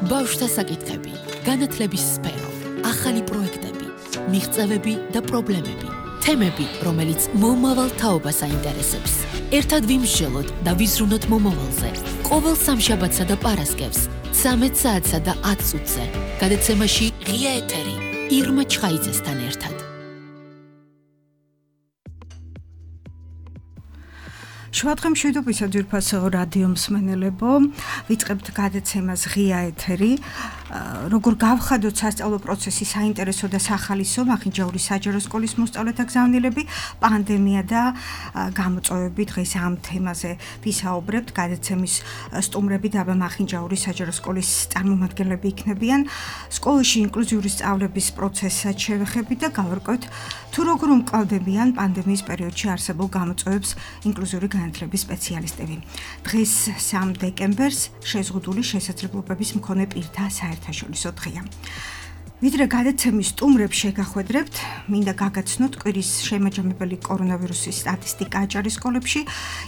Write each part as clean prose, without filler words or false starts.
ბავშვთა საკითხები, განათლების სფერო, ახალი პროექტები, მიღწევები და პრობლემები, თემები, რომელიც მომავალ თაობას აინტერესებს. ერთად ვიმსჯელოთ და ვიზრუნოთ მომავალზე. ყოველ სამშაბათსა და პარასკევს, 13 საათსა და 10 წუთზე. გადაცემაში ღია ეთერი, ირმა ჩხაიძესთან ერთად. შევადგენ მშვიდობისა ძვირფასო რადიო მსმენელებო, ვიწყებთ გადაცემას ღია ეთერი. როგორ გავხადოთ სასწავლო პროცესის საინტერესო და სახალისო მახინჯაურის საჯარო სკოლის მოსწავლეთა გზავნილები, პანდემია და გამოწვევები. დღეს ამ თემაზე ვისაუბრებთ. გადაცემის სტუმრები დაბა მახინჯაურის საჯარო სკოლის წარმომადგენლები იქნებიან. სკოლაში ინკლუზიური სწავლების პროცესსაც შევეხებით და გავარკვევთ თუ როგორ უმკლავდებიან პანდემიის პერიოდში არსებულ გამოწვევებს ინკლუზიური განათლების სპეციალისტები. დღეს 3 დეკემბერს შეზღუდული შესაძლებლობების მქონე პირთა საერთაშორისო დღეა. ვიდრე გადაცემის სტუმრებს შეგახვედრებთ, მინდა გაგაცნოთ კვირის შემაჯამებელი კორონავირუსის სტატისტიკა აჭარის სკოლებში,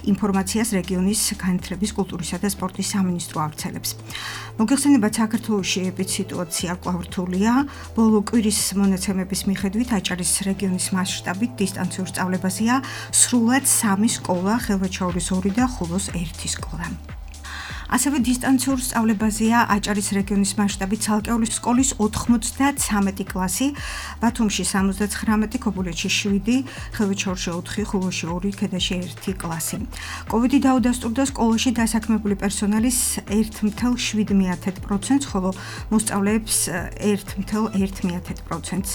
ინფორმაციას რეგიონის განათლების, კულტურისა და სპორტის სამინისტრო ავრცელებს. მოგეხსენებათ, საქართველოში ეპიდსიტუაცია კვლავ რთულია. ბოლო კვირის მონაცემების მიხედვით აჭარის რეგიონის მასშტაბით დისტანციურ სწავლებაზეა სრულად 3 სკოლა, ხელვაჩაურის 2 და ხულოს 1 სკოლა. ასევე დისტანციურ სწავლებაზეა აჭარის რეგიონის მასშტაბით ცალკეული სკოლის 93 კლასი, ბათუმში 79, ქობულეთში 7, ხელვაჩაურში 4, ხულოში 2, ქედაში 1 კლასი. კოვიდი დაუდასტურდა სკოლაში დასაქმებული პერსონალის 1,7%, ხოლო მოსწავლეებს 1,1%.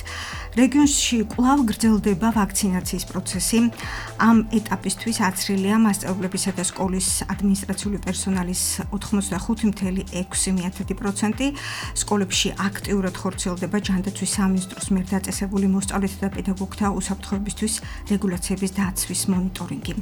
რეგიონში კვლავ გრძელდება ვაქცინაციის პროცესი. ამ ეტაპისთვის აცრილია მასწავლებლებისა და სკოლის ადმინისტრაციული პერსონალის 85,6%. სკოლებში აქტიურად ხორციელდება ჯანდაცვის სამინისტროს მიერ დაწესებული მოსწავლეთა და პედაგოგთა უსაფრთხოებისთვის რეგულაციების დაცვის მონიტორინგი.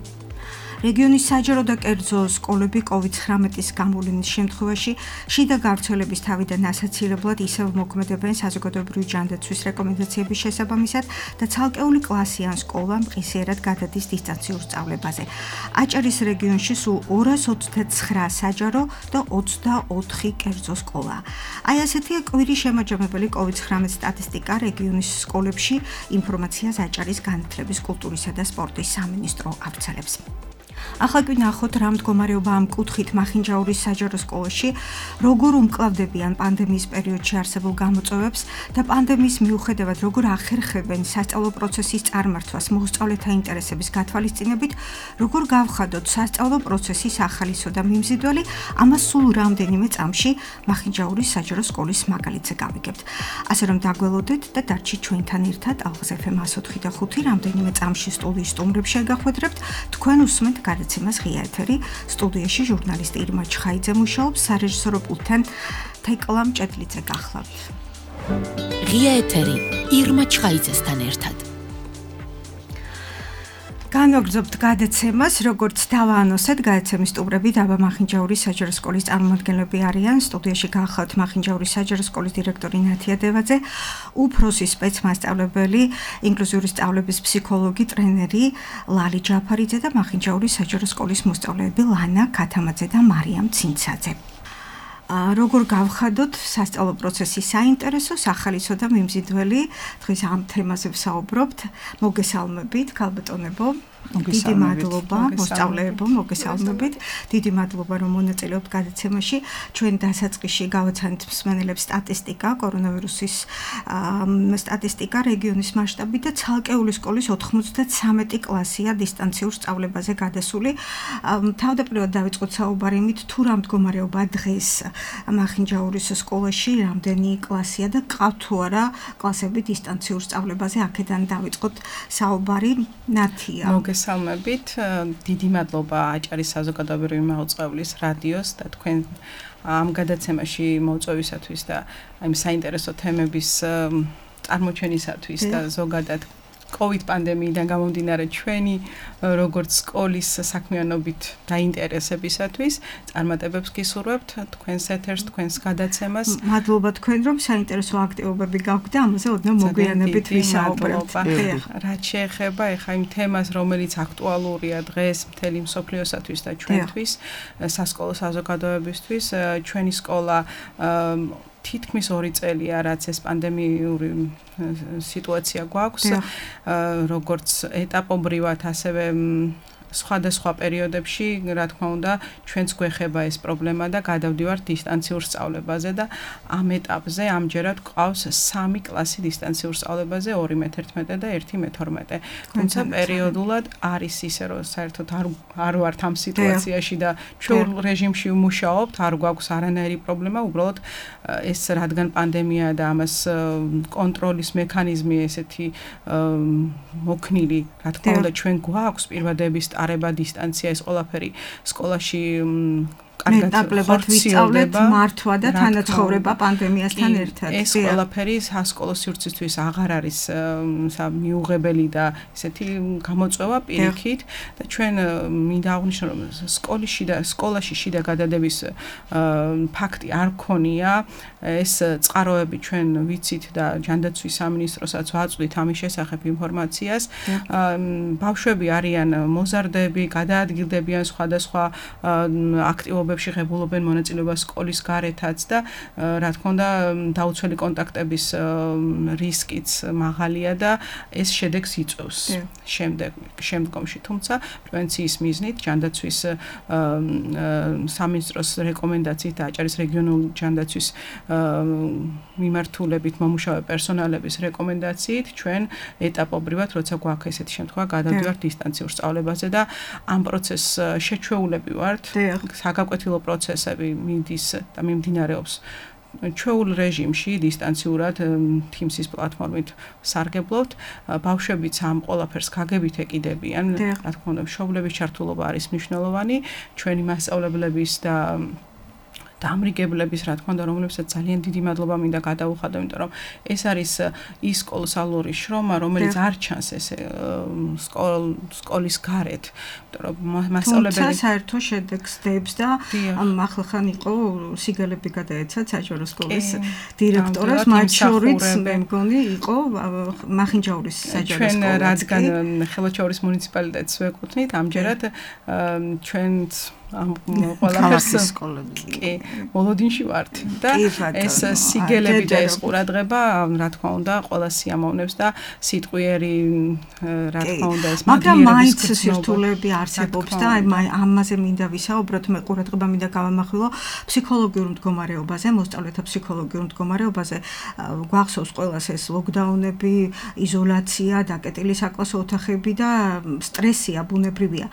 რეგიონის საჯარო და კერძო სკოლები COVID-19-ის გამოვლენის შემთხვევაში შიდა გავრცელების თავიდან ასაცილებლად ისევ მოქმედებენ საზოგადოებრივი ჯანდაცვის რეკომენდაციების შესაბამისად და ცალკეული კლასი ან სკოლა მყისიერად გადადის დისტანციურ სწავლებაზე. აჭარის რეგიონში სულ 229 საჯარო და 24 კერძო სკოლა. აი ასეთია კვირის შემაჯამებელი COVID-19 სტატისტიკა რეგიონის სკოლებში, ინფორმაციას აჭარის განათლების, კულტურისა და სპორტის სამინისტრო ავრცელებს. ახლა კი ნახოთ რა მდგომარეობა ამ კუთხით მახინჯაურის საჯარო სკოლაში, როგორ უმკლავდებიან პანდემიის პერიოდში არსებულ გამოწვევებს და პანდემიის მიუხედავად როგორ ახერხებენ სასწავლო პროცესის წარმართვას მოსწავლეთა ინტერესების გათვალისწინებით, როგორ გავხადოთ სასწავლო პროცესის ახალისო და მიმზიდველი, ამას სულ რამდენიმე წამში მახინჯაურის საჯარო სკოლის მაგალითზე გავიგებთ. ასე რომ დაგველოდეთ და დარჩით ჩვენთან ერთად ალღაზ FM 104 და 5 რამდენიმე წამში სტუდიის სტუმრებს შეგახვედრებთ, თქვენ უსმენთ გადაცემას ღია ეთერი, სტუდიაში ჟურნალისტი ირმა ჩხაიძე მუშაობს, სარეჟისორო პულტთან თეკლა მჭედლიძე გახლავთ. ღია ეთერი, ირმა ჩხაიძესთან ერთად. განვაგრძობთ გადაცემას, როგორც დავაანონსეთ, გადაცემის სტუმრები დაბა მახინჯაურის საჯარო სკოლის წარმომადგენლები არიან. სტუდიაში გახლავთ მახინჯაურის საჯარო სკოლის დირექტორი ნათია დევაძე, უფროსი სპეცმასწავლებელი, ინკლუზიური სწავლების ფსიქოლოგი, ტრენერი ლალი ჯაფარიძე და მახინჯაურის საჯარო სკოლის მოსწავლეები ლანა ქათამაძე და მარიამ ცინცაძე. როგორ გავხადოთ სასწავლო პროცესის საინტერესო, სახალისო და მიმზიდველი, დღეს ამ თემაზე ვსაუბრობთ. მოგესალმებით, ქალბატონებო. დიდი მადლობა მოსწავლეებო, მოგესალმებით. დიდი მადლობა რომ მონაწილეობთ გადაცემაში. ჩვენ დასაწყისში გავაცანით მსმენელებს სტატისტიკა, კორონავირუსის სტატისტიკა რეგიონის მასშტაბით და ცალკეული სკოლის 93 კლასია დისტანციურ სწავლებაზე გადასული. თავდაპირველად დავიწყოთ საუბარი იმით, თუ რა მდგომარეობა დღეს მახინჯაურის სკოლაში, რამდენი კლასია და ყავთ თუ არა კლასები დისტანციურ სწავლებაზე, აქედან დავიწყოთ საუბარი. ნათია. მოგესალმებით, დიდი მადლობა აჭარის საზოგადოებრივი მაუწყებლის რადიოს და თქვენ ამ გადაცემაში მოწვევისათვის და აი საინტერესო თემების წარმოჩენისათვის და ზოგადად COVID პანდემიიდან გამომდინარე ჩვენი როგორც სკოლის საქმიანობით დაინტერესებისათვის წარმატებებს გისურვებთ თქვენს ეთერს, თქვენს გადაცემას. მადლობა თქვენ რომ საინტერესო აქტივობები გაქვთ და ამაზე ოდნავ მოგვიანებით ვისაუბრებთ. რაც შეეხება ეხა იმ თემას, რომელიც აქტუალურია დღეს მთელი მსოფლიოსათვის და ჩვენთვის, სასკოლო საზოგადოებისთვის, ჩვენი სკოლა თითქმის 2 წელია, რაც ეს პანდემიური სიტუაცია გვაქვს, როგორც ეტაპობრივად, ასევე სხვადასხვა პერიოდებში, რა თქმა უნდა, ჩვენც გვეხება ეს პრობლემა და გადავდივართ დისტანციურ სწავლებაზე და ამ ეტაპზე ამჯერად გვყავს 3 კლასი დისტანციურ სწავლებაზე, 2 მე-11 და 1 მე-12. თუმცა პერიოდულად არის ისე, რომ საერთოდ არ ვართ ამ სიტუაციაში და ჩვეულ რეჟიმში ვმუშაობთ, არ გვაქვს არანაირი პრობლემა, უბრალოდ ეს რადგან პანდემია და ამას კონტროლის მექანიზმი ესეთი მოქნილი, რა თქმა უნდა, ჩვენ გვაქვს პირვადების არება დისტანცია ეს ყველაფერი სკოლაში მეტაკლებად ვისწავლეთ მართვა და თანაცხოვრება პანდემიასთან ერთად. ეს ყველაფერი სასკოლო სივრცისთვის აღარ არის მიუღებელი და ესეთი გამოწვევა პირიქით და ჩვენ მინდა აღვნიშნო რომ სკოლაში შიდა გადადების ფაქტი არ ქონია. ეს წყაროები ჩვენ ვიცით და ჯანდაცვის სამინისტროსაც ვაწვდით ამის შესახებ ინფორმაციას. ბავშვები არიან მოზარდები, გადაადგილდებიან სხვადასხვა აქტივობებში ღებულობენ მონაწილეობას სკოლის გარეთაც და რა თქმა უნდა დაუცველი კონტაქტების რისკიც მაღალია და ეს შედეგს იწვევს შემდგომში. თუმცა პრევენციის მიზნით ჯანდაცვის სამინისტროს რეკომენდაციით და აჭარის რეგიონული ჯანდაცვის მიმართულებით მომუშავე პერსონალების რეკომენდაციით ჩვენ ეტაპობრივად, როცა გვაქვს ესეთი შემთხვევა, გადავდივართ დისტანციურ სწავლებაზე და ამ პროცესს შეჩვეულები ვართ. საგაკვეთილო პროცესები მიდის და მიმდინარეობს ჩვეულ რეჟიმში დისტანციურად Teams-ის პლატფორმით სარგებლობთ. ბავშვებიც ამ ყველაფერს გაგებით ეკიდებიან. რა თქმა უნდა, მშობლების ჩართულობა არის მნიშვნელოვანი. ჩვენი მასწავლებლების და დამრიგებლების, რა თქმა უნდა, რომლებსაც ძალიან დიდი მადლობა მინდა გადაუხადო, იმიტომ რომ ეს არის ის კოლოსალური შრომა, რომელიც არ ჩანს ესე სკოლის გარეთ. იმიტომ რომ მასწავლებელი თუმცა საერთო შედეგს დებს და ახლახან იყო სიგელები გადაეცა საჯარო სკოლის დირექტორას, მათ შორის მე მგონი იყო მახინჯაურის საჯარო სკოლა. ჩვენ რადგან ხელოჩაურის მუნიციპალიტეტს ვეკუთვნით, ამჯერად ჩვენც ყველაფერს სკოლებში მოლოდინში ვართ და ეს სიგელები და ეს ყურადღება რა თქმა უნდა ყველა სიამოვნებს და სიტყვიერი რა თქმა უნდა ეს მაგრამ მაინც სირთულეები არსებობს და ამაზე მინდა ვისაუბროთ. მე ყურადღება მინდა გავამახვილო ფსიქოლოგიურ მდგომარეობაზე, მოსწავლეთა ფსიქოლოგიურ მდგომარეობაზე. გვახსოვს ყველას ეს ლოკდაუნები, იზოლაცია, დაკეტილი საკლასო ოთახები და სტრესი აბუნებრივია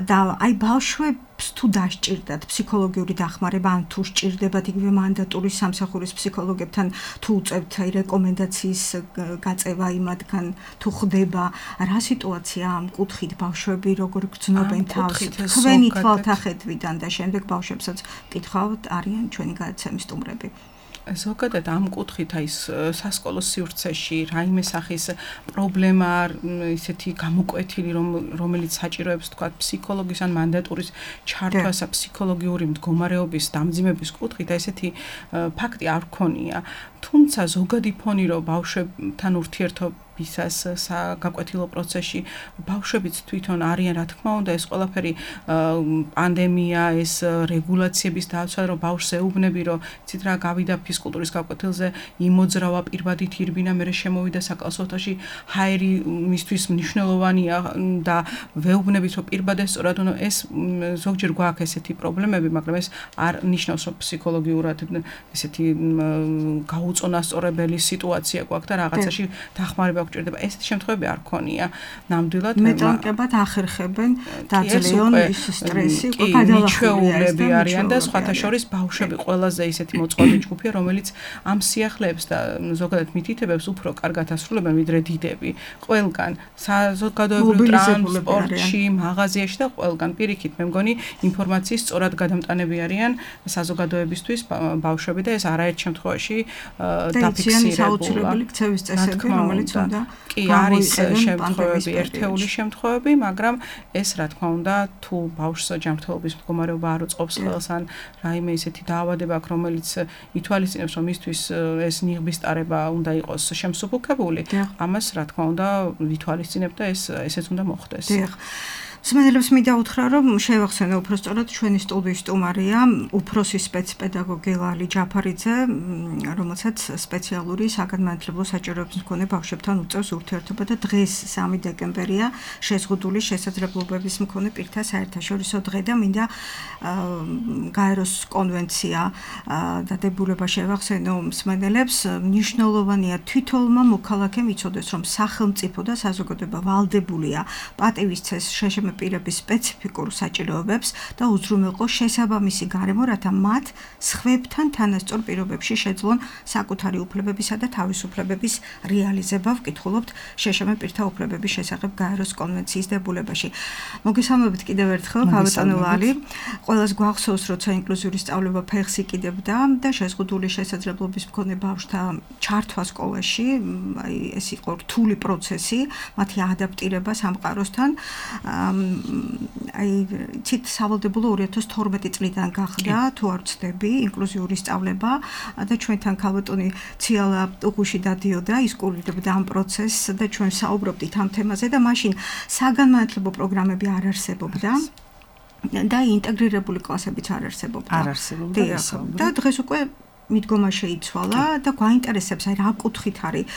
და აი ბავშვები თუ დასჭირდათ ფსიქოლოგიური დახმარება, ან თუ სჭირდებათ იგივე მანდატური სამსახურის ფსიქოლოგებთან თუ უწევთ რეკომენდაციის გაწევა იმათგან თუ ხდება, რა სიტუაცია ამ კუთხით ბავშვები როგორ გრძნობენ თავს თქვენი თვალთახედვიდან და შემდეგ ბავშვებსაც კითხავთ არიან ჩვენი გადაცემის სტუმრები. ზოგადად ამ კუთხით აი სასკოლო სივრცეში რაიმე სახის პრობლემა ისეთი გამოკვეთილი რომელიც საჭიროებს თქვა ფსიქოლოგის ან მანდატურის ჩართვას ფსიქოლოგიური მდგომარეობის დამძიმების კუთხით ესეთი ფაქტი არ ქონია. თუმცა ზოგადი ფონი რომ ბავშვებთან ურთიერთობისას საგაკვეთილო პროცესში ბავშვებიც თვითონ არიან, რა თქმა უნდა, ეს ყველაფერი პანდემია, ეს რეგულაციების დაცვა, რომ ბავშვს ეუბნები, რომ ცით რა გავიდა ფიზკულტურის გაკვეთილზე, იმოძრავა პირბადი თირბინა, მერე შემოვიდა საკლასო ოთახში, ჰაერი მისთვის მნიშვნელოვანია და ვეუბნებით, რომ პირბადე სწორად უნდა ეს ზოგჯერ გვაქვს ესეთი პრობლემები, მაგრამ ეს არ ნიშნავს, რომ ფსიქოლოგიურად ესეთი უწონასწორებელი სიტუაცია გვაქვს და რაღაცაში დახმარება გვჭირდება. ესეთი შემთხვევები არ ქონია. ნამდვილად მეტანკებად ახერხებენ დაძლიონ ის სტრესი, გადალახულები არიან და სხვათა შორის ბავშვები ყველაზე ისეთი მოწყვლადი ჯგუფია, რომელიც ამ სიახლეებს და ზოგადად მითითებებს უფრო კარგად ასრულებენ ვიდრე დიდები. ყველგან საზოგადოებრივ ტრანსპორტში, მაღაზიაში და ყველგან პირიქით მე მგონი ინფორმაციის სწორად გადამტანები არიან საზოგადოებისთვის ბავშვები და ეს არაერთ შემთხვევაში დაფიქსირებულა. საოცრებელი ქცევის წესები, რომელიც უნდა და კი არის შემთხვევები, ერთეული შემთხვევები, მაგრამ ეს რა თქმა უნდა, თუ ბავშვს ჯანმრთელობის მდგომარეობა არ უწყობს ხელს ან რაიმე ისეთი დაავადება აქვს, რომელიც ითვალისწინებს, რომ მისთვის ეს ნიღბის ტარება უნდა იყოს შემსუბუქებული, ამას რა თქმა უნდა ვითვალისწინებ და ესეც უნდა მოხდეს. მსმენელებს მინდა რომ შევახსენო უფრო სწორად ჩვენი სტუდიის სტუმარია უფროსი სპეცპედაგოგი ლალი ჯაფარიძე, რომელსაც სპეციალური საგანმანათლებლო საჭიროების მქონე ბავშვებთან უწევს ურთიერთობა და დღეს 3 დეკემბერია შეზღუდული შესაძლებლობების მქონე პირთა საერთაშორისო დღე და მინდა გაეროს კონვენცია დადებულება შევახსენო მსმენელებს. მნიშვნელოვანია თვითონმა მოქალაქემ იცოდეს, რომ სახელმწიფო და საზოგადოება ვალდებულია პატივისცეს შეშემე პირების სპეციფიკურ საჭიროებებს და უზრუნველყოს შესაბამისი გარემო, რათა მათ სხვებთან თანასწორ პირობებში შეძლონ საკუთარი უფლებებისა და თავისუფლებების რეალიზება. ვკითხულობთ შეშემე პირთა უფლებების შესახებ გაეროს კონვენციის დებულებაში. მოგესალმებით კიდევ ერთხელ, ბატონო ლალი. ყველას გვახსოვს, როცა ინკლუზიური სწავლება ფეხს იკიდებდა და შეზღუდული შესაძლებლობის მქონე ბავშვთა ჩართვა სკოლაში, ეს იყო რთული პროცესი, მათი ადაპტირება სამყაროსთან. ცით სავალდებულო 2012 წლიდან გახდა, თუ არ ვცდები, ინკლუზიური სწავლება და ჩვენთან ქალბატონი ციალა უხუში დადიოდა, ის კურირებდა ამ პროცესს და ჩვენ საუბრობდით ამ თემაზე და მაშინ საგანმანათლებლო პროგრამები არ არსებობდა და ინტეგრირებული კლასებიც არ არსებობდა. და დღეს უკვე მიდგომა შეიცვალა და გვაინტერესებს რა კუთხით არის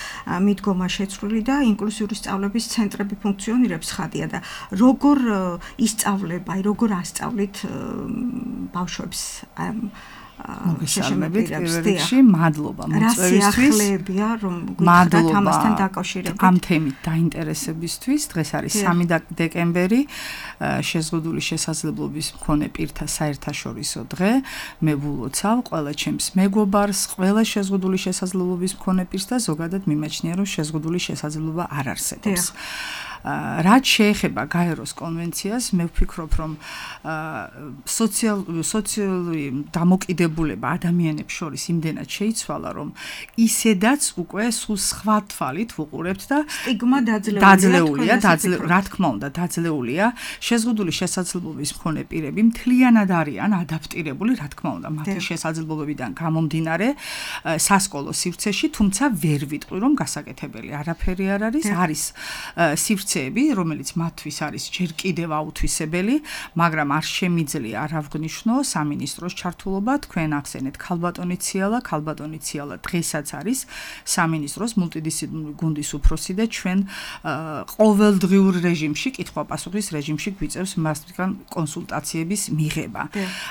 მიდგომა შეცვლილი და ინკლუზიური სწავლების ცენტრები ფუნქციონირებს ხადია და როგორ ისწავლება, როგორ ასწავლით ბავშვებს მოგესალმებით პირველ რიგში, მადლობა მოწვევისთვის. მადლობა ამასთან დაკავშირებით. ამ თემით დაინტერესებისთვის. დღეს არის 3 დეკემბერი, შეზღუდული შესაძლებლობის მქონე პირთა საერთაშორისო დღე. მე ვილოცავ ყველა ჩემს მეგობარს, ყველა შეზღუდული შესაძლებლობის მქონე პირს და ზოგადად მიმაჩნია, რომ შეზღუდული შესაძლებლობა არ არსებობს. რაც შეეხება გაეროს კონვენციას, მე ვფიქრობ, რომ სოციალური დამოკიდებულება ადამიანებს შორის იმდენად შეიცვალა, რომ ისედაც უკვე სულ სხვა თვალით ვუყურებთ და სტიგმა დაძლეულია, რა თქმა უნდა, დაძლეულია. შეზღუდული შესაძლებლობის მქონე პირები მთლიანად არიან ადაპტირებული, რა თქმა უნდა, მათი შესაძლებლობებიდან გამომდინარე სასკოლო სივრცეში, თუმცა ვერ ვიტყვი, რომ გასაკეთებელი არაფერი არ არის, არის სივრცე რომელიც მათთვის არის ჯერ კიდევ აუთვისებელი, მაგრამ არ შემიძლია არ ავღნიშნო სამინისტროს ჩართულობა. თქვენ ახსენეთ ქალბატონი ციალა დღესაც არის სამინისტროს მულტიდისციპლინური გუნდის უფროსი და ჩვენ ყოველდღიურ რეჟიმში, კითხვა-პასუხის რეჟიმში გვიწევს მასთან კონსულტაციების მიღება.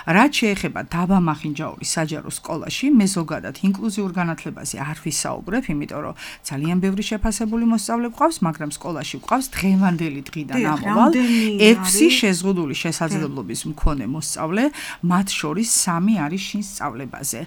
რაც შეეხება დაბამახინჯაურის საჯარო სკოლაში, მე ზოგადად ინკლუზიურ განათლებაზე არ ვისაუბრებ, იმიტომ რომ ძალიან ბევრი შეფასებული მოსწავლე გვყავს, მაგრამ სკოლაში გვყავს დღევანდელი დღიდან ამოვალ 6 შეზღუდული შესაძლებლობის მქონე მოსწავლე, მათ შორის 3 არის შინ სწავლებაზე.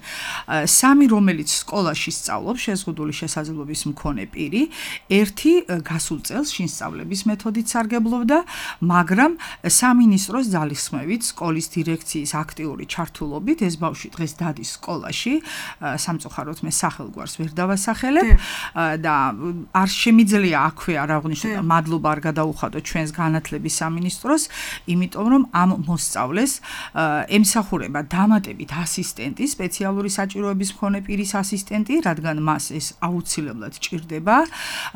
3 რომელიც სკოლაში სწავლობს შეზღუდული შესაძლებლობის მქონე პირი, 1 გასულ წელს შინ სწავლების მეთოდით სარგებლობდა, მაგრამ სამინისტროს ძალისხმევით, სკოლის დირექციის აქტიური ჩართულობით ეს ბავშვი დღეს დადის სკოლაში, სამწუხაროდ მე სახელგვარს ვერ დავასახელებ და არ შემიძლია აქვე არ აღვნიშნო და მადლობა არ გადაუხადო ჩვენს განათლების სამინისტროს, იმიტომ რომ ამ მოსწავლეს ემსახურება დამატებით ასისტენტი, სპეციალური საჭიროების მქონე პირის ასისტენტი, რადგან მას ეს აუცილებლად ჭირდება.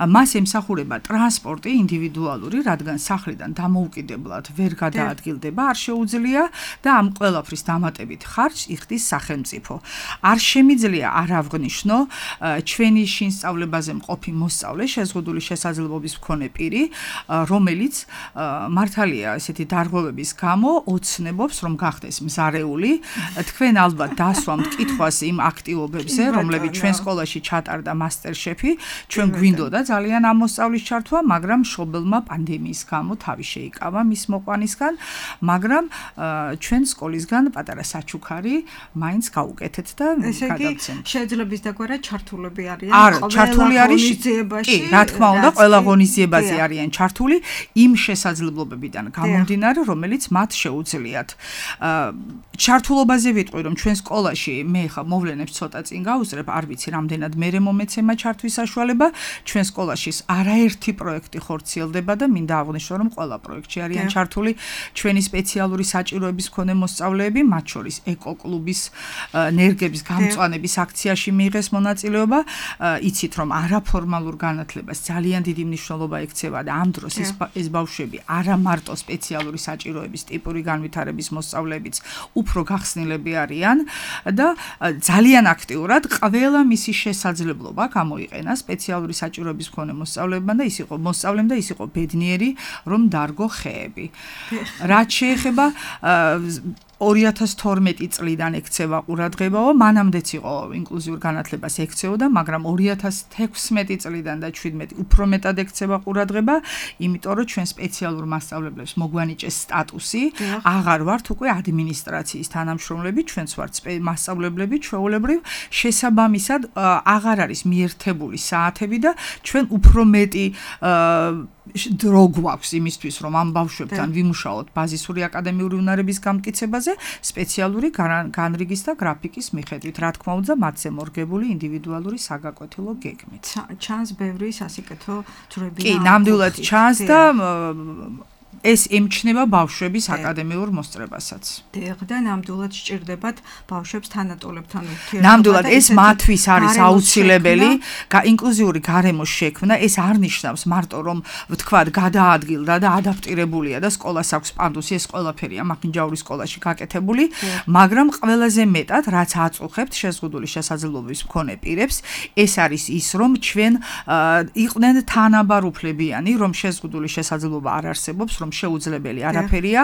მას ემსახურება ტრანსპორტი ინდივიდუალური, რადგან სახლიდან დამოუკიდებლად ვერ გადაადგილდება, არ შეუძლია და ამ ყველაფრის დამატებით ხარჯს იხდის სახელმწიფო. არ შემიძლია არ აღვნიშნო ჩვენი შინ სწავლებაზე მყოფი მოსწავლე, შეზღუდული შესაძლებლობის მქონე პირი, რომელიც მართალია ესეთი დარღვევების გამო ოცნებობს, რომ გახდეს მზარეული. თქვენ ალბათ დასვამთ კითხვას იმ აქტივობებზე, რომლებიც ჩვენ სკოლაში ჩატარდა მასტერშეფი, ჩვენ გვინდოდა ძალიან ამ მოსწავლის ჩართვა, მაგრამ მშობელმა პანდემიის გამო თავი შეიკავა მის მოყვანისგან, მაგრამ ჩვენ სკოლისგან პატარა საჩუქარი მაინც გავუკეთეთ და გადავცემთ. შეიძლება ის დაგვარა ჩართულები არიან ჩართული არის, კი, რა თქმა უნდა, ყველა ღონისძიებაზე არის არიან ჩართული იმ შესაძლებლობებიდან გამომდინარე, რომელიც მათ შეუძლიათ. ჩართულობაზე ვიტყვი, რომ ჩვენ სკოლაში მე ხა მოვლენებს ცოტა წინ გავუძრებ, არ ვიცი რამდენად მერე მომეცემა ჩართვის საშუალება, ჩვენ სკოლაში არაერთი პროექტი ხორციელდება და მინდა აღვნიშნო, რომ ყველა პროექტში არიან ჩართული ჩვენი სპეციალური საჭიროების მქონე მოსწავლეები, მათ შორის ეკოკლუბის ნერგების გამწვანების აქციაში მიიღეს მონაწილეობა. იცით, რომ არაფორმალურ განათლებას ძალიან დიდი მნიშვნელობა ექცევა და ამ დროს ეს ბავშვები არა მარტო სპეციალური საჭიროების ტიპური განვითარების მოსწავლეებიც უფრო გახსნილები არიან და ძალიან აქტიურად ყველა მისი შესაძლებლობა გამოიყენა სპეციალური საჭიროების მქონე მოსწავლეებმა და ის იყო ბედნიერი, რომ დარგო ხეები. რაც შეეხება 2012 წლიდან ექცევა ყურადღებაო, მანამდეც იყო ინკლუზიურ განათლებას ექცეოდა, მაგრამ 2016 წლიდან და 17 უფრო მეტად ექცევა ყურადღება, იმიტომ რომ ჩვენ სპეციალურ მასწავლებლებს მოგვანიჭეს სტატუსი, აღარ ვართ უკვე ადმინისტრაციის თანამშრომლები, ჩვენც ვართ მასწავლებლები, ჩვეულებრივ შესაბამისად აღარ არის მიერთებული საათები და ჩვენ უფრო მეტი დრო გვაქვს იმისთვის, რომ ამ ბავშვებთან ვიმუშაოთ ბაზისური აკადემიური უნარების გამტკიცებაზე, სპეციალური განრიგის და გრაფიკის მიხედვით, რა თქმა უნდა, მათზე მორგებული ინდივიდუალური საგაკვეთილო გეგმით. ჩანს ბევრი სასიკეთო ძრები. კი, ნამდვილად ჩანს და ეს ემჩნევა ბავშვების აკადემიურ მოსწრებასაც. დიახ, და ნამდვილად სჭირდებათ ბავშვებს თანატოლებთან ურთიერთობა. ნამდვილად ეს მათთვის არის აუცილებელი, ინკლუზიური გარემოს შექმნა, ეს არ ნიშნავს მარტო რომ ვთქვათ გადაადგილდა და ადაპტირებულია და სკოლას აქვს პანდუსი, ეს ყველაფერია მახინჯაურის სკოლაში გაკეთებული, მაგრამ ყველაზე მეტად რაც აწუხებთ შეზღუდული შესაძლებლობის მქონე პირებს, ეს არის ის, რომ ჩვენ იყვნენ თანაბარუფლებიანი, რომ შეზღუდული შესაძლებლობა არ არსებობს, რომ შეუძლებელი არაფერია.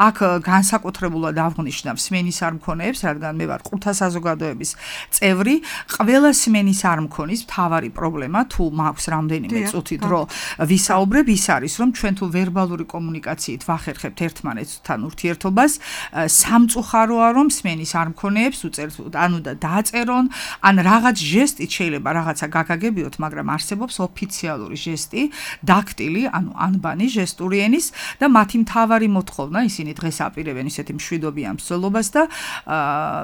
აქ განსაკუთრებულად აღნიშნავ სმენის არ მქონეებს, რადგან მე ვარ ყურთა საზოგადოების წევრი. ყველა სმენის არ მქონის მთავარი პრობლემა, თუ მაქვს რამდენიმე წუთი დრო ვისაუბრებ, ის არის, რომ ჩვენ თუ ვერბალური კომუნიკაციით ვახერხებთ ერთმანეთთან ურთიერთობას, სამწუხაროა, რომ სმენის არ მქონეებს უწერთ, ანუ და დააწერონ, ან რაღაც ჟესტით შეიძლება რაღაცა გაგაგებიოთ, მაგრამ არსებობს ოფიციალური ჟესტი, დაქტილი, ანუ ანბანი ჟესტური ენის და მათი მთავარი მოთხოვნა, ისინი დღეს აპირებენ ისეთი მშვიდობიან მსვლელობას და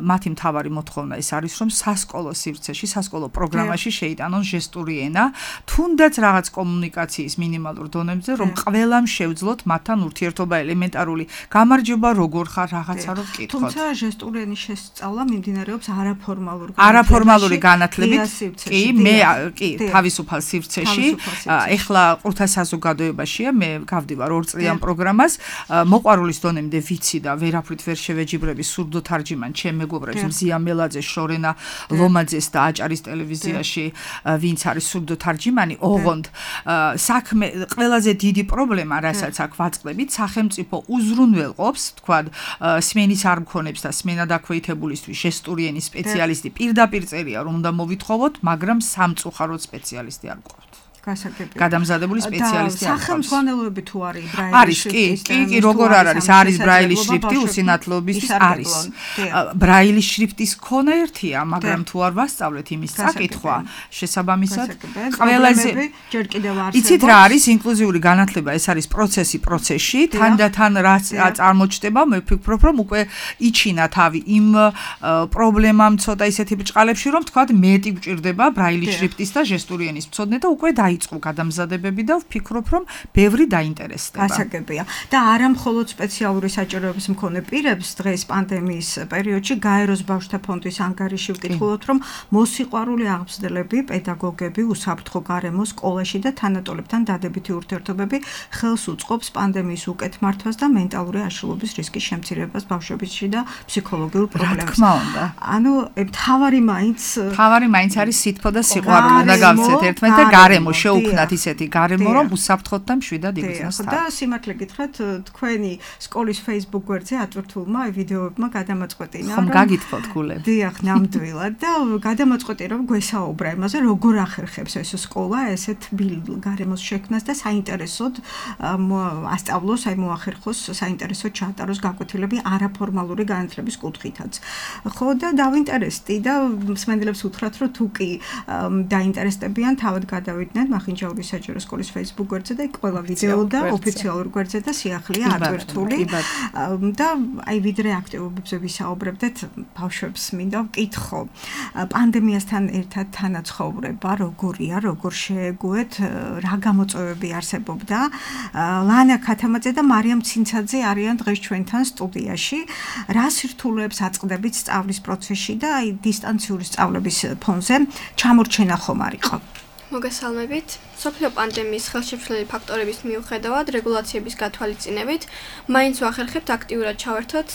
მათი მთავარი მოთხოვნა ეს არის, რომ სასკოლო სივრცეში, სასკოლო პროგრამაში შეიტანონ ჟესტური ენა, თუნდაც რაღაც კომუნიკაციის მინიმალურ დონეებზე, რომ ყველამ შევძლოთ მათთან ურთიერთობა ელემენტარული. გამარჯობა, როგორ ხარ, რაღაცა რომ ვკითხოთ. თუმცა ჟესტური ენის შესწავლა მიმდინარეობს არაფორმალური განათლებით. კი, მე კი, თავისუფალ სივრცეში. ეხლა ყურთა საზოგადოებაშია, მე გავდივარ 2 წლიან პროგრამას, მოყვარულის დონემდე ვიცი და ვერაფრით ვერ შევეჯიბრები სურდო თარჯიმან ჩემ მეგობრებს მზია მელაძეს, შორენა ლომაძეს და აჭარის ტელევიზიაში, ვინც არის სურდო თარჯიმანი, ოღონდ საქმე ყველაზე დიდი პრობლემა, რასაც აქ ვაწყდებით, სახელმწიფო უზრუნველყოფს, თქვათ, სმენის არ მქონებს და სმენა დაქვეითებულისთვის ჟესტური ენის სპეციალისტი პირდაპირ წერია, რომ უნდა მოვითხოვოთ, მაგრამ სამწუხაროდ სპეციალისტი არ გვყავთ. გადამზადებული სპეციალისტი არ ხარ. სახელმძღვანელოები თუ არის ბრაილის შრიფტი? კი, როგორ არ არის? არის ბრაილის შრიფტი უსინათლოებისთვის არის. ბრაილის შრიფტის ქონა ერთია, მაგრამ თუ არ ვასწავლეთ იმის წაკითხვა, შესაბამისად ყველაზე ჯერ კიდევ არსებობს. იცით რა არის ინკლუზიური განათლება? ეს არის პროცესში, თანდათან რაც წარმოჩდება, მე ვფიქრობ, რომ უკვე იჩინა თავი იმ პრობლემამ ცოტა ისეთი ბრჭყალებში, რომ თქვათ მეტი გვჭირდება ბრაილის შრიფტის და ჟესტური ენის მცოდნე და უკვე დაიწყო გადამზადებები და ვფიქრობ, რომ ბევრი დაინტერესდება. გასაგებია. და არა მხოლოდ სპეციალური საჭიროების მქონე პირებს დღეს პანდემიის პერიოდში გაეროს ბავშვთა ფონდის ანგარიში ვკითხულობთ, რომ მოსიყვარული აღმზრდელები, პედაგოგები, უსაფრთხო გარემო სკოლაში და თანატოლებთან დადებითი ურთიერთობები ხელს უწყობს პანდემიის უკეთ მართვას და მენტალური აშლილობის რისკის შემცირებას ბავშვებში და ფსიქოლოგიურ პრობლემებს. რა თქმა უნდა. ანუ თავარი მაინც არის სითბო და სიყვარული და გავცეთ ერთმანეთს და გარემო შეუქმნათ ისეთი გარემო, რომ უსაფრთხოდ და მშვიდად იგრძნოს თავი. და სიმართლე გითხრათ, თქვენი სკოლის Facebook გვერდზე ატვირთულმა ვიდეოებმა გადამაწყვეტინა, რომ გაგითხოვთ გულები. დიახ, ნამდვილად და გადამაწყვეტინა, რომ გვესაუბრა იმაზე, როგორ ახერხებს ეს სკოლა ესეთ გარემოს შექმნას და საინტერესოდ ასწავლოს, მოახერხოს, საინტერესოდ ჩაატაროს გაკვეთილები არაფორმალური განათლების კუთხითაც. ხო და დავინტერესდი და მსმენელებს უთხრათ, რომ თუ კი დაინტერესდებიან, თავად გადავიდნენ მახინჯაურის საჯარო სკოლის Facebook გვერდზე და იქ ყველა ვიდეო და ოფიციალურ გვერდზე და სიახლეა ატვირთული და აი ვიდრე აქტივობებზე ვისაუბრებდეთ ბავშვებს მინდა ვკითხო პანდემიასთან ერთად თანაცხოვრება როგორია როგორ შეეგუეთ რა გამოწვევები არსებობდა ლანა ქათამაძე და მარიამ ცინცაძე არიან დღეს ჩვენთან სტუდიაში რა სირთულეებს აწყდებით სწავლის პროცესში და აი დისტანციური სწავლების ფონზე ჩამორჩენა ხომ არ იყო მოგესალმებით. სოფლიო პანდემიის ხელშემშლელი ფაქტორების მიუხედავად, რეგულაციების გათვალისწინებით, მაინც ვახერხებთ აქტიურად ჩავერთოთ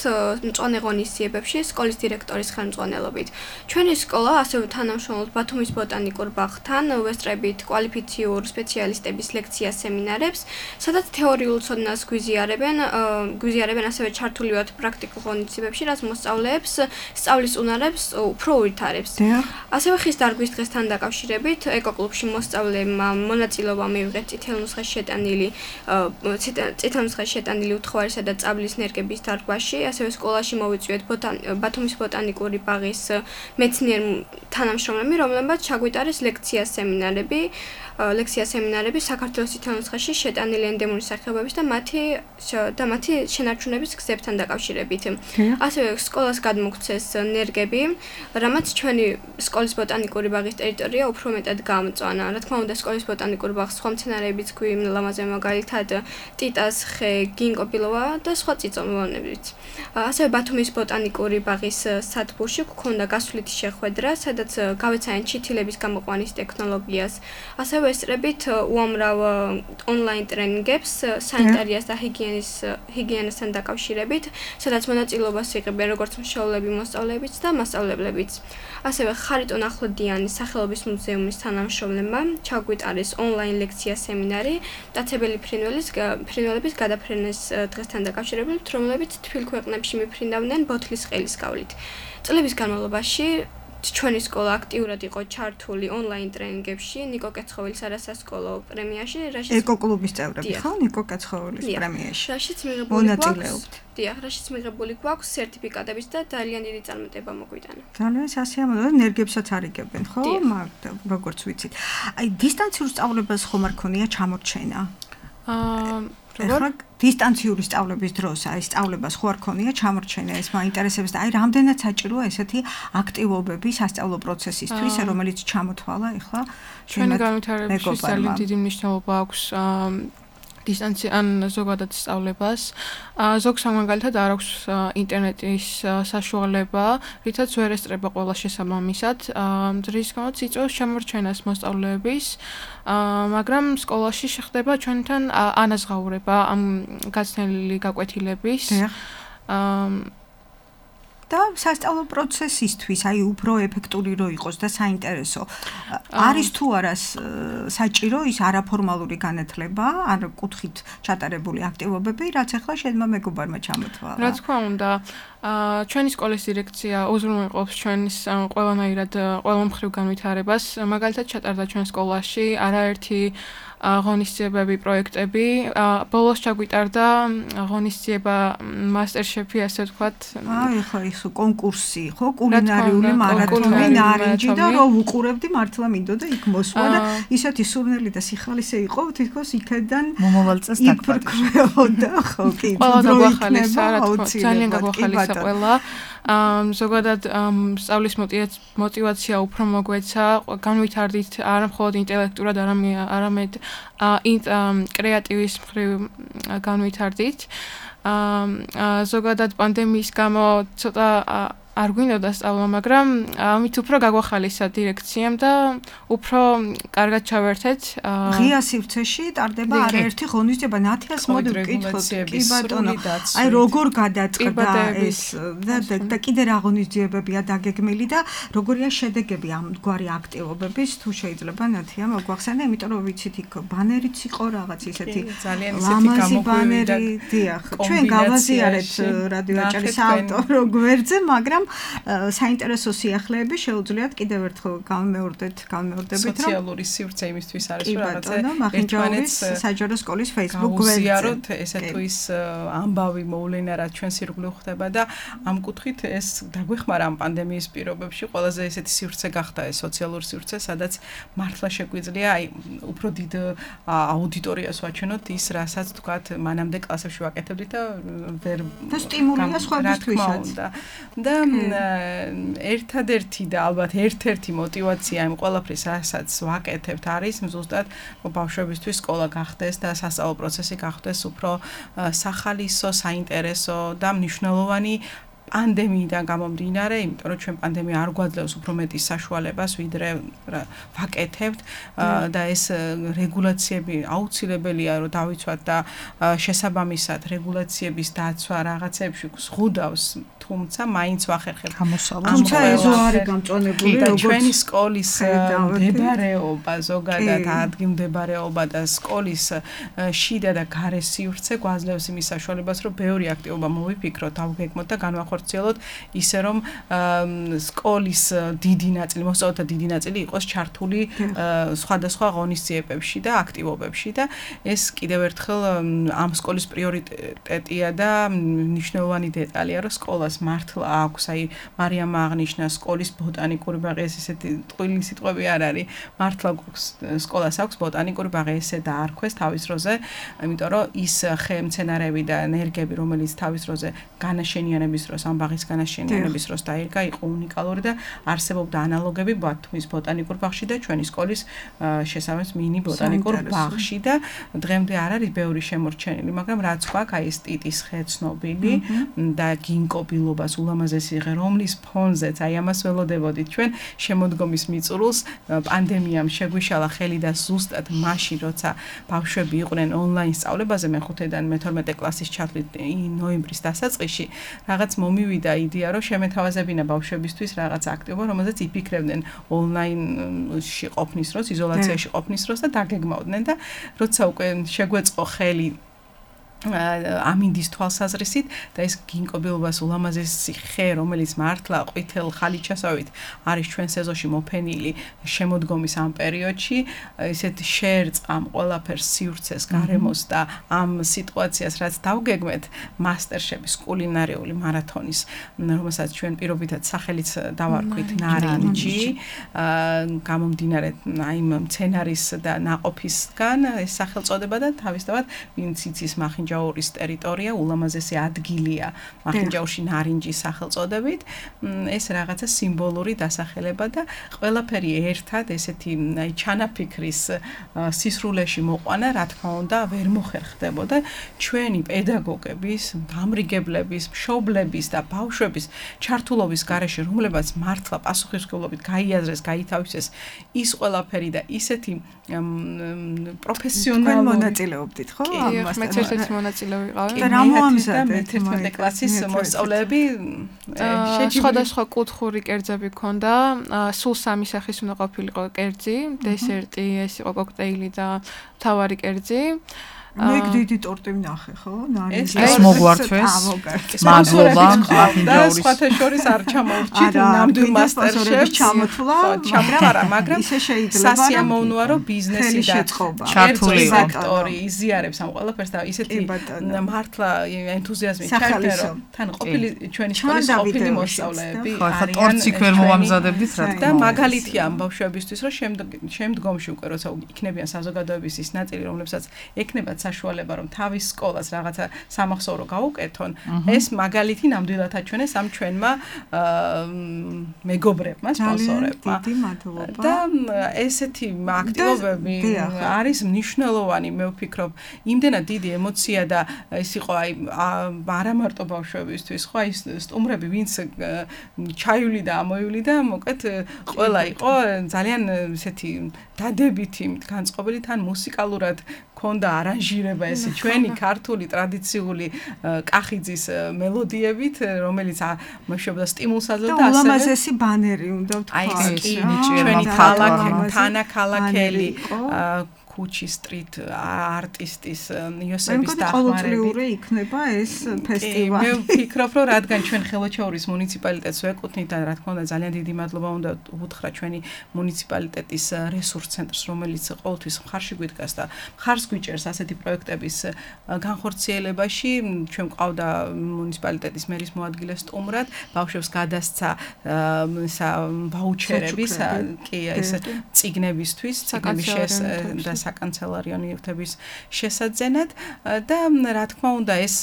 მწვანე ღონისძიებებში სკოლის დირექტორის ხელმძღვანელობით. ჩვენი სკოლა ასევე თანამშრომლობს ბათუმის ბოტანიკურ ბაღთან, ვესწრებით კვალიფიციურ სპეციალისტების ლექცია სემინარებს, სადაც თეორიულ ცოდნას გვიზიარებენ ასევე ჩართული ვართ პრაქტიკულ ღონისძიებებში, რაც მოსწავლეებს სწავლის უნარებს უფრო უვითარებს. ასევე ხის დარგვის დღესთან დაკავშირებით ეკოკლუბში მოსწავლეებმა მონაწილეობა მიიღეთ წითელ ნუსხაში შეტანილი უთხوارისა და წაბლის ნერგების დარგვაში, ასევე სკოლაში მოვიწვიეთ ბათუმის ბოტანიკური ბაღის მეცნიერ თანამშრომლები, რომლებმაც ჩაგვიტარეს ლექცია სემინარები საქართველოს წითელ ნუსხაში შეტანილი ენდემური სახეობების და მათი შენარჩუნების გზებთან დაკავშირებით. ასევე სკოლას გადმოგცეს ნერგები, რამაც ჩვენი სკოლის ბოტანიკური ბაღის ტერიტორია უფრო მეტად გამწვანა. რა თქმა უნდა, სკოლის ბოტანიკური ბაღს სხვა მცენარეებიც გვიმლამაზე, მაგალითად ტიტას ხე, გინკოპილოვა და სხვა წიწომოვანებიც. ასევე ბათუმის ბოტანიკური ბაღის სადგურში გვქონდა გასვლითი შეხვედრა, სადაც გავეცაენ ჩითილების გამოყვანის ტექნოლოგიას. ასევე ესწრებით უამრავ ონლაინ ტრენინგებს სანიტარიას და ჰიგიენასთან დაკავშირებით, სადაც მონაწილეობას იღებენ როგორც მშობლები, მოსწავლეებიც და მასწავლებლებიც. ასევე ხარიტონ ახლოდიანის სახელობის მუზეუმის თანამშრომლებმა ჩაგვიტარეს ონლაინ ლექცია სემინარი მტაცებელი ფრინველების გადაფრენას დღესთან დაკავშირებით, რომლებიც თბილ ქვეყნებში მიფრინდავდნენ ბოთლის ყელის გავლით. წლების განმავლობაში ჩვენი სკოლა აქტიურად იყო ჩართული ონლაინ ტრენინგებში, ნიკო კეცხოველის არასასკოლო პრემიაში, ეკოკლუბის წევრები ხო? ნიკო კეცხოველის პრემიაში. რაშიც მიღებული გვაქვს სერტიფიკატების და ძალიან დიდი წარმატება მოგვიტანა. ძალიან სასიამოვნო, ნერგებსაც არიგებენ, ხო? როგორც ვიცით. აი დისტანციურ სწავლებას ხომ არ ქონია ჩამორჩენა? ეხლა დისტანციური სწავლების დროს აი სწავლებას ხო არ ქონია ჩამორჩენა ეს მაინტერესებს და აი რამდენად საჭიროა ესეთი აქტივობები სასწავლო პროცესისთვის რომელიც ჩამოთვალა ეხლა ჩვენი განვითარებისთვის ძალიან დიდი მნიშვნელობა აქვს დისტანციან ზოგადად სწავლებას. ზოგს მაგალითად არ აქვს ინტერნეტის საშუალება, რითაც ვერ ესწრება ყველა შესაბამისად. რის გამოც იწვევს ჩამორჩენას მოსწავლეების, მაგრამ სკოლაში შეხდება ჩვენთან ანაზღაურება ამ გაცნელი გაკვეთილების. და სასწავლო პროცესისთვის, აი უფრო ეფექტური რო იყოს და საინტერესო. არის თუ არა საჭირო ის არაფორმალური განათლება, ან კუთხით ჩატარებული აქტივობები, რაც ახლა შენმა მეგობარმა ჩამოთვალა. რა თქმა უნდა, ჩვენი სკოლის დირექცია უზრუნველყოფს ჩვენს ყველანაირად ყველა მხრივ განვითარებას. მაგალითად ჩატარდა ჩვენ სკოლაში არაერთი ღონისძიებები, პროექტები. ბოლოს ჩაგვიტარდა ღონისძიება მასტერშეფი, ასე ვთქვათ. ხო, ის კონკურსი, ხო, კულინარიული მარათონი, ნარინჯი და რო ვუყურებდი, მართლა მინდოდა იქ მოსვლა და ისეთი სურნელი და სიხალისე იყო, თითქოს იქიდან მომავალ წელს დაგხვდა, ხო, კი, გაგვახალისა, რა თქმა უნდა, ძალიან გაგვახალისა ყველა. ზოგადად სწავლის мотиваცია უფრო მოგვეცა, განვითარდით არა მხოლოდ ინტელექტურად, არამედ კრეატივის მხრივ განვითარდით. ზოგადად პანდემიის გამო ცოტა არ გვინდოდა სწავლა, მაგრამ ამით უფრო გაგვახალისა დირექციამ და უფრო კარგად ჩავერთეთ. ღია სივრცეში ტარდება არაერთი ღონისძიება, ნათიას მოდი ვკითხოთ, კი ბატონო. აი როგორ გადაწყდა ეს და კიდე რა ღონისძიებებია დაგეგმილი და როგორია შედეგები ამგვარი აქტივობების, თუ შეიძლება ნათია მოგვახსენე, იმიტომ რომ ვიცით იქ ბანერიც იყო რაღაც ისეთი ლამაზი ბანერი, დიახ. ჩვენ გავაზიარეთ რადიო აჭარის ავტორო გვერდზე, მაგრამ საინტერესო სიახლეები შეუძლიათ კიდევ ერთხელ გამეორდებით, რომ სოციალური სივრცე იმისთვის არის, რომ რაღაცა მახინჯაურის საჯარო სკოლის Facebook გვერდზე გაუზიაროთ ესე თუ ის ამბავი მოვლენა რაც ჩვენ სირგულე ხდება და ამ კუთხით ეს დაგვეხმარა ამ პანდემიის პირობებში ყველაზე ესეთი სივრცე გახდა ეს სოციალური სივრცე, სადაც მართლა შეგვიძლია აი უფრო დიდ აუდიტორიას ვაჩვენოთ ის, რასაც თქვათ მანამდე კლასებში ვაკეთებდით და ვერ და სტიმულია სხვებისთვისაც. და ერთადერთი და ალბათ ერთ-ერთი мотиваცია იმ ყველაფრის, რასაც ვაკეთებთ, არის ზუსტად ბავშვებისთვის სკოლა გახდეს და სასწავლო პროცესი გახდეს უფრო სახალისო, საინტერესო და მნიშვნელოვანი პანდემიიდან გამომდინარე, იმიტომ რომ ჩვენ პანდემია არ გვაძლევს უფრო მეტის საშუალებას, ვიდრე ვაკეთებთ და ეს რეგულაციები აუცილებელია, რომ დავიცვათ და შესაბამისად რეგულაციების დაცვა რაღაცებში ზღუდავს, თუმცა მაინც ვახერხებთ. თუმცა ეზო არის გამწონებული, როგორც ჩვენი სკოლის მდებარეობა, ზოგადად ადგილმდებარეობა და სკოლის შიდა და გარე სივრცე გვაძლევს იმის საშუალებას, რომ ბევრი აქტივობა მოვიფიქროთ, დავგეგმოთ და განვახორციელოთ ისე, რომ სკოლის დიდი ნაწილი, მოსწავლეთა დიდი ნაწილი იყოს ჩართული სხვადასხვა ღონისძიებებში და აქტივობებში და ეს კიდევ ერთხელ ამ სკოლის პრიორიტეტია და მნიშვნელოვანი დეტალია, რომ სკოლას მართლა აქვს, აი მარიამ აღნიშნა სკოლის ბოტანიკური ბაღი, ეს ესეთი ტყუილი სიტყვები არ არის. მართლა სკოლას აქვს ბოტანიკური ბაღი, ესე დაარქვეს თავის დროზე, იმიტომ რომ ის ხემცენარეები და ენერგიები, რომელიც თავის დროზე განაშენიანების დროს, ამ ბაღის განაშენიანების დროს დაირგა, იყო უნიკალური და არსებობდა ანალოგები ბათუმის ბოტანიკურ ბაღში და ჩვენი სკოლის შესაბამის მინი ბოტანიკურ ბაღში და დღემდე არ არის ბევრი შემორჩენილი, მაგრამ რაც გვაქვს, აი ეს ტიტის ხე ცნობილი და გინკობილობას ულამაზესი ღე, რომლის ფონზეც აი ამას ველოდებოდით ჩვენ შემოდგომის მიწურულს პანდემიამ შეგვიშალა ხელი და ზუსტად მაშინ, როცა ბავშვები იყვნენ ონლაინ სწავლებაზე მე-5-დან მე-12 კლასის ჩათვლით ნოემბრის დასაწყისში, რაღაც მომივიდა იდეა, რომ შემეთავაზებინა ბავშვებისთვის რაღაც აქტივობა, რომელზეც იფიქრებდნენ ონლაინში ყოფნის დროს, იზოლაციაში ყოფნის დროს და დაგეგმავდნენ და როცა უკვე შეგვეწყო ხელი ამინდის თვალსაზრისით და ეს გინკობილობას ულამაზესი ხე, რომელიც მართლა ყვითელ ხალიჩასავით არის ჩვენ სეზონში მოფენილი შემოდგომის ამ პერიოდში, ესეთ შერწყ ამ ყველაფერს სივრცეს, გარემოს და ამ სიტუაციას, რაც დავგეგმეთ მასტერშეფის კულინარიული მარათონის, რომელსაც ჩვენ პირობითად სახელიც დავარქვით ნარინჯი, გამომდინარე აი მცენარის და ნაყოფისგან ეს სახელწოდება და თავისთავად ვინც იცის მახინჯაურის ტერიტორია ულამაზესი ადგილია მახინჯაურში ნარინჯის სახელწოდებით, ეს რაღაცა სიმბოლური დასახელება და ყველაფერი ერთად ესეთი აი ჩანაფიქრის სისრულეში მოყვანა, რა თქმა უნდა, ვერ მოხერხდებოდა ჩვენი პედაგოგების, გამრიგებლების, მშობლების და ბავშვების ჩართულობის გარეშე, რომლებაც მართლა პასუხისმგებლობით გაიაზრეს, გაითავისეს ის ყველაფერი და ისეთი პროფესიონალური მონაწილეობდით, ხო? მეც ერთ-ერთი მონაწილე ვიყავი. და რა მოამზადეთ 11 კლასის მოსწავლეები სხვადასხვა კუთხური კერძები ქონდა, სულ 3 სახის უნდა ყოფილიყო კერძი, დესერტი, ეს იყო კოქტეილი და მთავარი კერძი. მე დიდი ტორტი ვნახე, ხო? ეს მოგვართვეს. მადლობა მახინჯაურის. სხვათა შორის არ ჩამოვრჩით ნამდვილ მასტერშეფს ჩამოთვლა, მაგრამ ისე შეიძლება სასიამოვნოა, რომ ბიზნესი და ჩართული ფაქტორი იზიარებს ამ ყველაფერს და ისეთი მართლა ენთუზიაზმი ჩაერთო, რომ თან ყოფილი ჩვენი სკოლის ყოფილი მოსწავლეები არიან. ტორტს იქ ვერ მოვამზადებდით, რა თქმა და მაგალითია ამ ბავშვებისთვის, რომ შემდგომში უკვე როცა იქნებიან საზოგადოების ის ნაწილი, რომლებსაც ექნებათ საშუალება, რომ თავის სკოლას რაღაცა სამახსოვრო გაუკეთონ, ეს მაგალითი ნამდვილად აჩვენეს ამ ჩვენმა მეგობრებმა, სპონსორებმა. დიდი მადლობა. და ესეთი აქტივობები არის მნიშვნელოვანი, მე ვფიქრობ, იმდენად დიდი ემოცია და ეს იყო აი არა მარტო ბავშვებისთვის, ხო, აი სტუმრები, ვინც ჩაიული და ამოიული და მოკლედ ყველა იყო ძალიან ესეთი დადებითი, განწყობილი, თან მუსიკალურად ქონდა არანჟირება ესე ჩვენი ქართული ტრადიციული კახიძის მელოდიებით, რომელიც მეშვეობდა სტიმულს აძლევდა და ასევე ულამაზესი ბანერი უნდა ვთქვა. აი ეს კი ჩვენი ქალაქი, თანაქალაქელი ქუჩი სტრით არტისტის იოსების დახმარებით. ყოველწლიური იქნება ეს ფესტივალი. მე ვფიქრობ, რომ რადგან ჩვენ ხელოჩაურის მუნიციპალიტეტს ვეკუთვნით და რა თქმა უნდა ძალიან დიდი მადლობა უნდა უთხრა ჩვენი მუნიციპალიტეტის რესურს ცენტრს, რომელიც ყოველთვის მხარში გვიდგას და მხარს გვიჭერს ასეთი პროექტების განხორციელებაში. ჩვენ ყავდა მუნიციპალიტეტის მერის მოადგილე სტუმრად, ბავშვებს გადასცა ვაუჩერების, კი, ეს წიგნებისთვის, წიგნების და საკანცელარიო ნივთების შესაძენად და რა თქმა უნდა ეს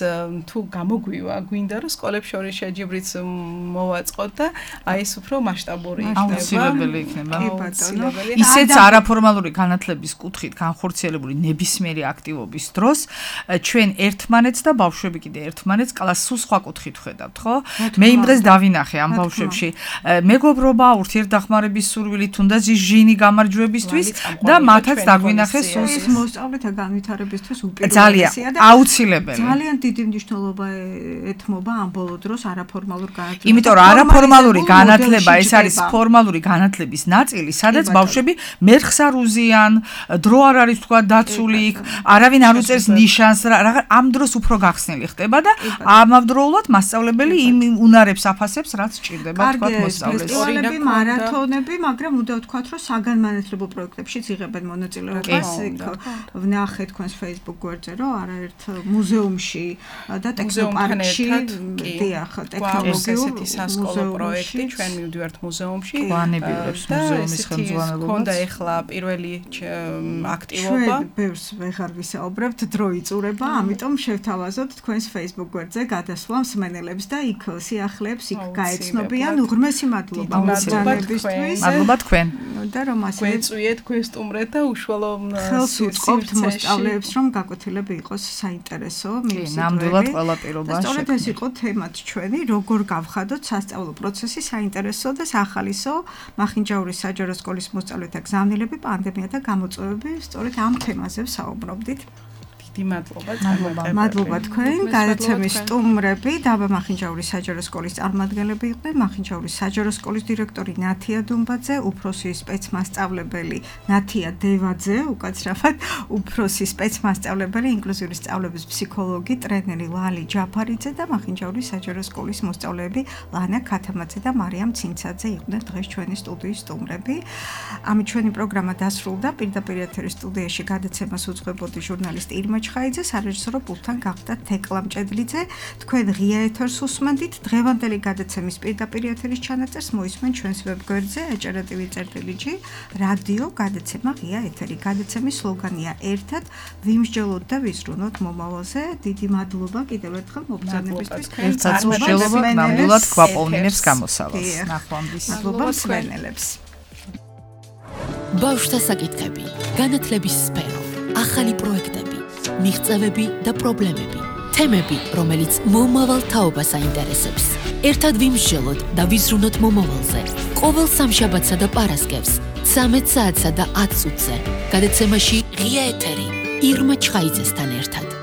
თუ გამოგვივა, გვინდა რომ სკოლებს შორის შეჯიბრიც მოვაწყოთ და აი ეს უფრო მასშტაბური იქნება. აუცილებელი იქნება. ისეც არაფორმალური განათლების კუთხით განხორციელებული ნებისმიერი აქტივობის დროს ჩვენ ერთმანეთს და ბავშვები კიდე ერთმანეთს კლასს სხვა კუთხით ხედავთ, ხო? მე იმ დღეს დავინახე ამ ბავშვებში მეგობრობა, ურთიერთდახმარების სურვილი, თუნდაც ჟინი გამარჯვებისთვის და მათაც დაგვინახე სულ მოსწავლეთა განვითარებისთვის უპირველესია და აუცილებელი. ძალიან დიდი მნიშვნელობა ეთმობა ამ ბოლო დროს არაფორმალურ განათლებას. იმიტომ რომ არაფორმალური განათლება ეს არის ფორმალური განათლების ნაწილი, სადაც ბავშვები მერხს არ უზიან, დრო არ არის თქვა დაცული იქ, არავინ არ უწერს ნიშანს, ამ დროს უფრო გახსნილი ხდება და ამავდროულად მასწავლებელი იმ უნარებს აფასებს, რაც სჭირდება თქვა მოსწავლეს. ფესტივალები, მარათონები, მაგრამ უნდა ვთქვათ, რომ საგანმანათლებლო პროექტებშიც იღებენ მონაწილეობას. ვნახე თქვენს Facebook გვერდზე, რომ არაერთ მუზეუმში და ტექნოპარკში, დიახ, ტექნოლოგიურ სასკოლო პროექტი, ჩვენ მივდივართ მუზეუმში. განებილებს მუზეუმის ხელმძღვანელობას. ქონდა ეხლა პირველი აქტივობა. ჩვენ ბევრს ვეღარ ვისაუბრებთ, დრო იწურება, ამიტომ შევთავაზოთ თქვენს Facebook გვერდზე გადასვლა მსმენელებს და იქ სიახლეებს იქ გაეცნობიან. უღრმესი მადლობა მოსწავლეებისთვის. მადლობა თქვენ. და რომ ასე გვეწვიეთ, გვესტუმრეთ და უშუალო ხელს უწყობთ მოსწავლეებს, რომ გაკვეთილები იყოს საინტერესო, მიმსწრებელი. ნამდვილად ყველა პირობა. სწორედ ეს იყო თემაც ჩვენი, როგორ გავხადოთ სასწავლო პროცესი საინტერესო და სახალისო. მახინჯაურის საჯარო სკოლის მოსწავლეთა გზავნილები, პანდემია და გამოწვევები, სწორედ ამ თემაზე ვსაუბრობდით. მადლობა თქვენ. გადაცემის სტუმრები დაბა მახინჯაურის საჯარო სკოლის წარმომადგენლები იყვნენ. მახინჯაურის საჯარო სკოლის დირექტორი ნათია დუმბაძე, უფროსი სპეცმასწავლებელი ნათია დევაძე, უკაცრავად უფროსი სპეცმასწავლებელი, ინკლუზიური სწავლების ფსიქოლოგი, ტრენერი ლალი ჯაფარიძე და მახინჯაურის საჯარო სკოლის მოსწავლეები ლანა ქათამაძე და მარიამ ცინცაძე იყვნენ დღეს ჩვენი სტუდიის სტუმრები. ამით ჩვენი პროგრამა დასრულდა. პირდაპირ ეთერის სტუდიაში გადაცემას უძღვებოდი ჟურნალისტი ირმა ხაიძე, სარეჟისორო პულტთან გახდა თეკლა მჭედლიძე. თქვენ ღია ეთერს უსმენთ. დღევანდელი გადაცემის პირდაპირ ეთერის ჩანაწერს მოისმენ ჩვენს ვებგვერდზე acara.tv/g რადიო გადაცემა ღია ეთერი. გადაცემის სლოგანია ერთად ვიმსჯელოთ და ვიზრუნოთ მომავალზე. დიდი მადლობა კიდევ ერთხელ მობრძანებისთვის. ერთად მსჯელობა ნამდვილად გვაპოვნინებს გამოსავალს. ნახვამდის. მადლობა მსმენელებს. ბავშვთა საკითხები, განათლების სფერო, ახალი პროექტები, მიღწევები და პრობლემები, თემები, რომელიც მომავალ თაობას აინტერესებს. ერთად ვიმსჯელოთ და ვიზრუნოთ მომავალზე. ყოველ სამშაბათსა და პარასკევს 13 საათსა და 10 წუთზე. გადაცემაში ღია ეთერი ირმა ჩხაიძესთან ერთად.